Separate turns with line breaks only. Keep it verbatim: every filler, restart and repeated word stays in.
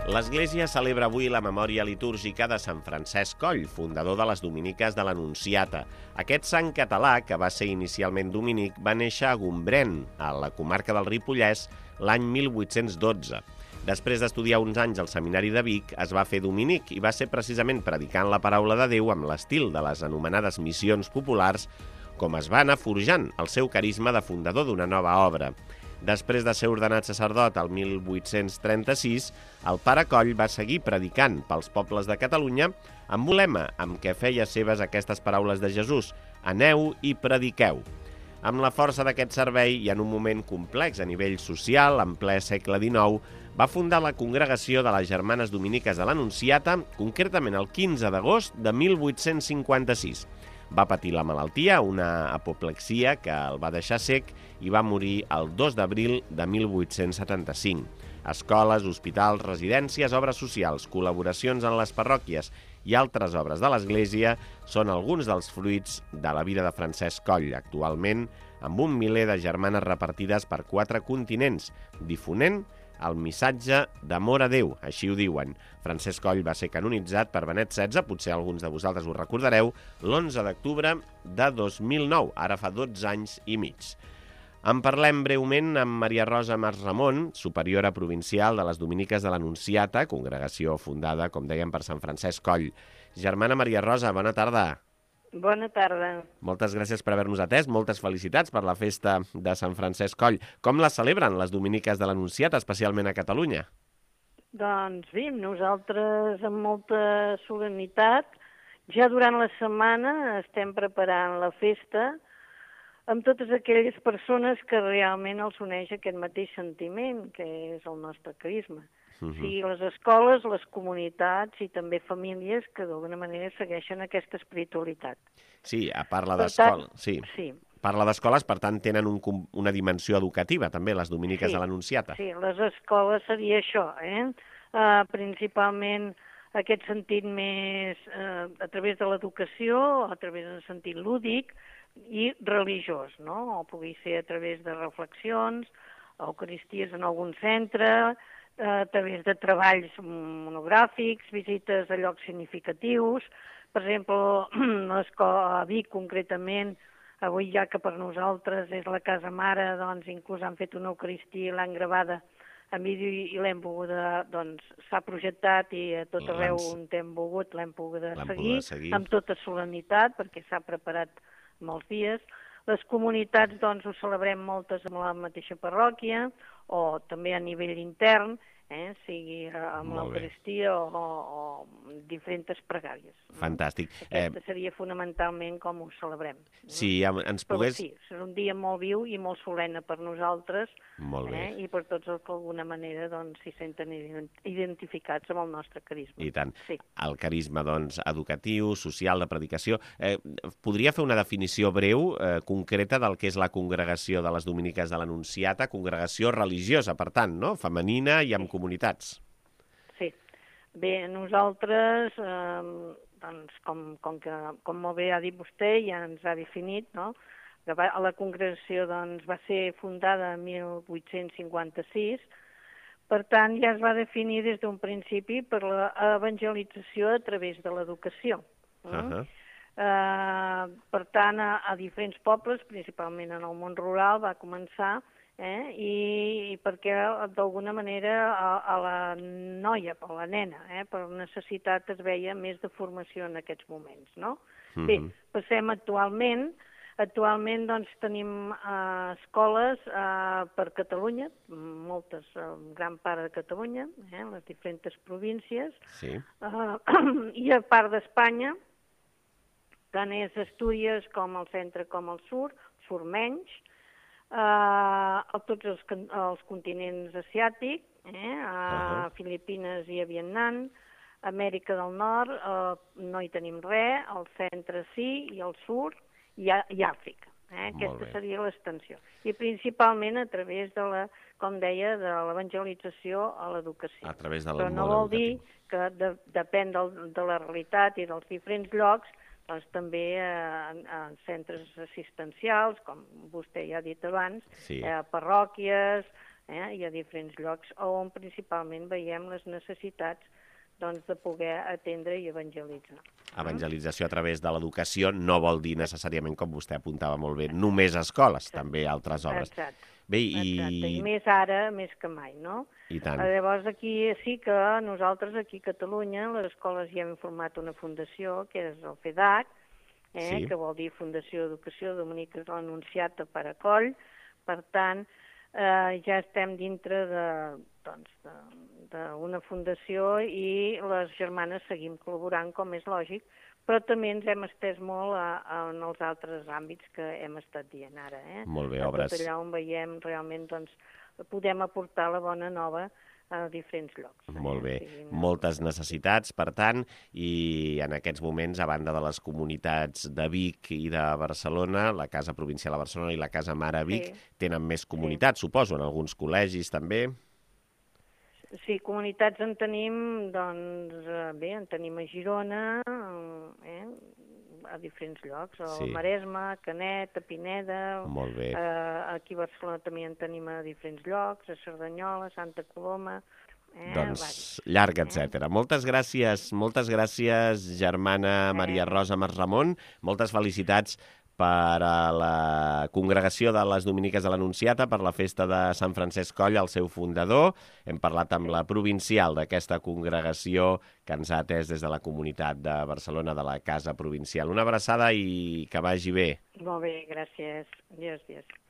L'Església celebra avui la memòria litúrgica de Sant Francesc Coll, fundador de les Dominiques de l'Anunciata. Aquest sant català, que va ser inicialment dominic, va néixer a Gombrèn, a la comarca del Ripollès, l'any mil vuit-cents dotze. Després d'estudiar uns anys al Seminari de Vic, es va fer dominic i va ser precisament predicant la paraula de Déu amb l'estil de les anomenades missions populars com es va anar forjant el seu carisma de fundador d'una nova obra. Després de ser ordenat sacerdot el mil vuit-cents trenta-sis, el pare Coll va seguir predicant pels pobles de Catalunya amb un lema amb què feia seves aquestes paraules de Jesús: «Aneu i prediqueu». Amb la força d'aquest servei i en un moment complex a nivell social, en ple segle dinou, va fundar la Congregació de les Germanes Dominiques de l'Anunciata, concretament el quinze d'agost de mil vuit-cents cinquanta-sis. Va patir la malaltia, una apoplexia que el va deixar sec i va morir el dos d'abril de mil vuit-cents setanta-cinc. Escoles, hospitals, residències, obres socials, col·laboracions en les parròquies i altres obres de l'Església són alguns dels fruits de la vida de Francesc Coll, actualment amb un miler de germanes repartides per quatre continents, difonent el missatge d'amor a Déu, així ho diuen. Francesc Coll va ser canonitzat per Benet setze, potser alguns de vosaltres ho recordareu, l'onze d'octubre de dos mil nou, ara fa dotze anys i mig. En parlem breument amb Maria Rosa Mas Ramon, superiora provincial de les Dominiques de l'Anunciata, congregació fundada, com dèiem, per Sant Francesc Coll. Germana Maria Rosa, bona tarda.
Bona tarda.
Moltes gràcies per haver-nos atès, moltes felicitats per la festa de Sant Francesc Coll. Com la celebren les Dominiques de l'Anunciata, especialment a Catalunya?
Doncs bé, nosaltres amb molta solemnitat, ja durant la setmana estem preparant la festa amb totes aquelles persones que realment els uneix aquest mateix sentiment, que és el nostre carisma. Uh -huh. Sí, les escoles, les comunitats i també famílies que d'alguna manera segueixen aquesta espiritualitat.
Sí, a parla d'escola, sí.
Sí.
Parla d'escoles, per tant, tenen un, una dimensió educativa, també, les Dominiques
sí,
de l'Anunciata.
Sí, les escoles seria això, eh? Uh, principalment aquest sentit més uh, a través de l'educació, a través del sentit lúdic i religiós, no? O pugui ser a través de reflexions, eucaristies en algun centre, a través de treballs monogràfics, visites a llocs significatius. Per exemple, l'escola a Vic, concretament, avui ja que per nosaltres és la casa mare, doncs inclús han fet una eucaristia i l'han gravada en vídeo i l'hem poguda, doncs s'ha projectat i a tot arreu on hem volgut l'hem poguda seguir, seguir amb tota solemnitat perquè s'ha preparat molts dies. Les comunitats, doncs, ho celebrem moltes amb la mateixa parròquia o també a nivell intern, eh, sigui amb l'Eucaristia o, o diferents pregàries.
Fantàstic.
Aquesta seria fonamentalment com ho celebrem.
Sí, ens pogués...
Però sí, és un dia molt viu i molt solemne per nosaltres eh, i per tots els que d'alguna manera doncs, s'hi senten identificats amb el nostre carisma.
I tant.
Sí.
El carisma doncs, educatiu, social, de predicació. Eh, podria fer una definició breu, eh, concreta, del que és la congregació de les Dominiques de l'Anunciata, congregació religiosa, per tant, no? Femenina i amb sí. comunitats.
Sí. Bé, nosaltres, eh, doncs, com, com, que, com molt bé ha dit vostè, ja ens ha definit, no? La congregació doncs, va ser fundada en mil vuit-cents cinquanta-sis, per tant, ja es va definir des d'un principi per l'evangelització a través de l'educació. Mm? Uh-huh. eh, per tant, a, a diferents pobles, principalment en el món rural, va començar Eh? I, i perquè d'alguna manera a, a la noia, a la nena, eh? per necessitat es veia més de formació en aquests moments, no? Uh-huh. Bé, passem actualment, actualment doncs tenim uh, escoles uh, per Catalunya, moltes, en gran part de Catalunya, eh? les diferents províncies,
sí.
uh, i a part d'Espanya, tant és Astúries com el centre com el sud, sud menys, Uh, a tots els, els continents asiàtics, eh, a uh-huh. Filipines i a Vietnam, Amèrica del Nord uh, no hi tenim res, al centre sí, i al sud, i, a, i Àfrica. Eh? Aquesta seria l'extensió. I principalment a través de la, com deia, de l'evangelització a l'educació.
A través del
Però no vol dir que de, depèn del, de la realitat i dels diferents llocs, doncs també en, en centres assistencials, com vostè ja ha dit abans,
sí.
eh, parròquies, eh? I a diferents llocs, on principalment veiem les necessitats doncs, de poder atendre i evangelitzar.
Evangelització a través de l'educació no vol dir necessàriament, com vostè apuntava molt bé, només escoles,
Exacte.
també altres obres.
Exacte.
Bé, i...
Exacte. I més ara, més que mai, no?
I tant.
Llavors, aquí sí que nosaltres, aquí a Catalunya, les escoles ja hem format una fundació, que és el FEDAC, eh? Sí. Que vol dir Fundació d'Educació Dominiques de l'Anunciata per a Coll. Per tant, eh, ja estem dintre de... doncs, d'una fundació i les germanes seguim col·laborant, com és lògic, però també ens hem estès molt a, a, en els altres àmbits que hem estat dient ara. Eh?
Molt bé,
a
obres.
tot allà on veiem realment, doncs, podem aportar la bona nova a diferents llocs.
Molt bé.
Eh? Sí,
moltes necessitats, per tant, i en aquests moments, a banda de les comunitats de Vic i de Barcelona, la Casa Provincial a Barcelona i la Casa Mare a Vic, sí. tenen més comunitats, sí. suposo, en alguns col·legis també.
Sí, comunitats en tenim, doncs, bé, en tenim a Girona, eh, a diferents llocs, al sí. Maresme, a Canet, a Pineda,
Molt bé.
Eh, aquí a Barcelona també en tenim a diferents llocs, a Cerdanyola, a Santa Coloma... Eh,
doncs
varis.
llarg, etcètera. Eh? Moltes gràcies, moltes gràcies, germana eh. Maria Rosa Masramon, moltes felicitats per a la congregació de les Dominiques de l'Anunciata, per la festa de Sant Francesc Coll, el seu fundador. Hem parlat amb la provincial d'aquesta congregació que ens ha atès des de la comunitat de Barcelona, de la Casa Provincial. Una abraçada i que vagi bé.
Molt bé, gràcies. Adiós, adiós.